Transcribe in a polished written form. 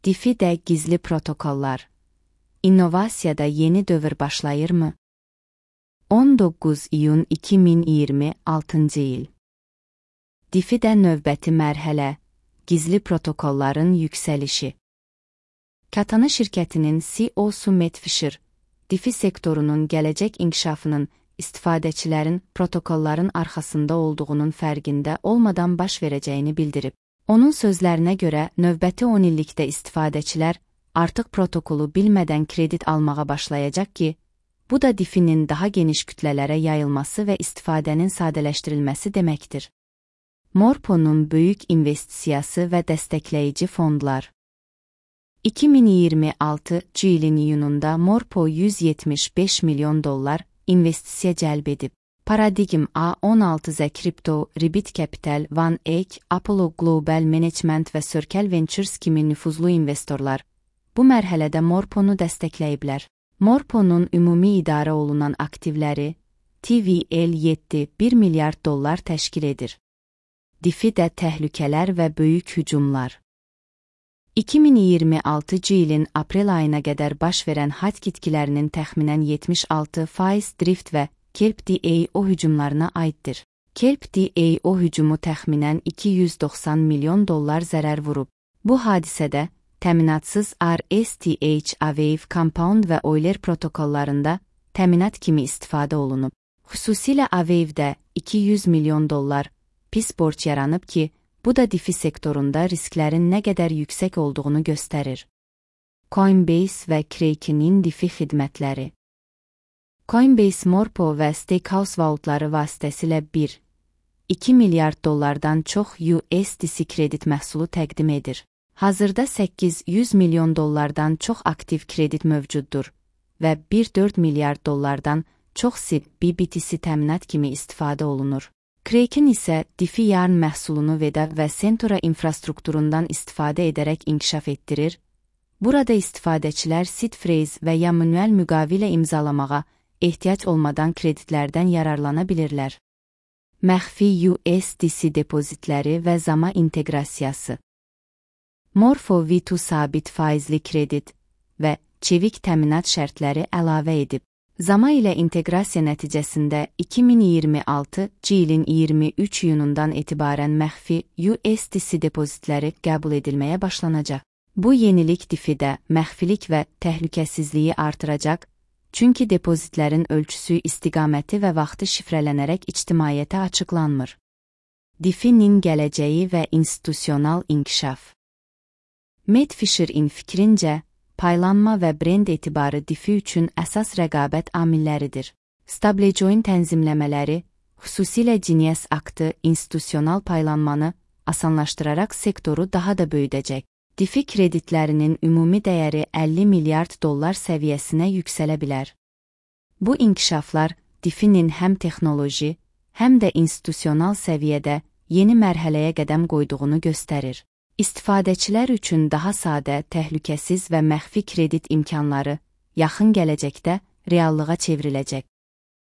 DeFi-də gizli protokollar. İnnovasiyada yeni dövr başlayırmı? 19 iyun 2026 il. DeFi-də növbəti mərhələ, gizli protokolların yüksəlişi. Katana şirkətinin CEO-su Matt Fisher, DeFi sektorunun gələcək inkişafının istifadəçilərin protokolların arxasında olduğunun fərqində olmadan baş verəcəyini bildirib. Onun sözlərinə görə, növbəti 10 illikdə istifadəçilər artıq protokolu bilmədən kredit almağa başlayacaq ki, bu da DeFi-nin daha geniş kütlələrə yayılması və istifadənin sadələşdirilməsi deməkdir. Morpo'nun böyük investisiyası və dəstəkləyici fondlar. 2026 ilin iyununda Morpo $175 milyon investisiya cəlb edib. Paradigm A16Z Crypto, Rebit Capital, One Egg, Apollo Global Management və Circle Ventures kimi nüfuzlu investorlar bu mərhələdə Morponu dəstəkləyiblər. Morponun ümumi idarə olunan aktivləri TVL7 $1 milyard təşkil edir. DeFi-də təhlükələr və böyük hücumlar. 2026 ilin aprel ayına qədər baş verən hack itkilərinin təxminən 76% drift və Kelp DAO hücumlarına aiddir. Kelp DAO hücumu təxminən $290 milyon zərər vurub. Bu hadisədə təminatsız RSTH, Aave, Compound və Euler protokollarında təminat kimi istifadə olunub. Xüsusilə Aave'də $200 milyon pis borc yaranıb ki, bu da DeFi sektorunda risklərin nə qədər yüksək olduğunu göstərir. Coinbase və Kraken'in DeFi xidmətləri. Coinbase Morpo və Stakehouse vaultları vasitəsilə 1,2 milyard çox USDC kredit məhsulu təqdim edir. Hazırda $800 milyon çox aktiv kredit mövcuddur və $1,4 milyard çox SIB BTC təminat kimi istifadə olunur. Kraken isə DeFi yarn məhsulunu Veda və Centura infrastrukturundan istifadə edərək inkişaf etdirir. Burada istifadəçilər seed phrase və ya manuel müqavilə imzalamağa ehtiyac olmadan kreditlərdən yararlana bilirlər. Məxfi USDC depozitləri və Zama inteqrasiyası. Morpho V2 sabit faizli kredit və çevik təminat şərtləri əlavə edib. Zama ilə inteqrasiya nəticəsində 2026 ilin 23 iyunundan etibarən məxfi USDC depozitləri qəbul edilməyə başlanacaq. Bu yenilik DeFi-də məxfilik və təhlükəsizliyi artıracaq, çünki depozitlərin ölçüsü, istiqaməti və vaxtı şifrələnərək ictimaiyyətə açıqlanmır. DeFi-nin gələcəyi və institusional inkişaf. Matt Fisher'in fikrincə, paylanma və brend etibarı DeFi üçün əsas rəqabət amilləridir. Stablecoin tənzimləmələri, xüsusilə Genius aktı institusional paylanmanı asanlaşdıraraq sektoru daha da böyüdəcək. DeFi kreditlərinin ümumi dəyəri $50 milyard səviyyəsinə yüksələ bilər. Bu inkişaflar DeFi-nin həm texnoloji, həm də institusional səviyyədə yeni mərhələyə qədəm qoyduğunu göstərir. İstifadəçilər üçün daha sadə, təhlükəsiz və məxfi kredit imkanları yaxın gələcəkdə reallığa çevriləcək.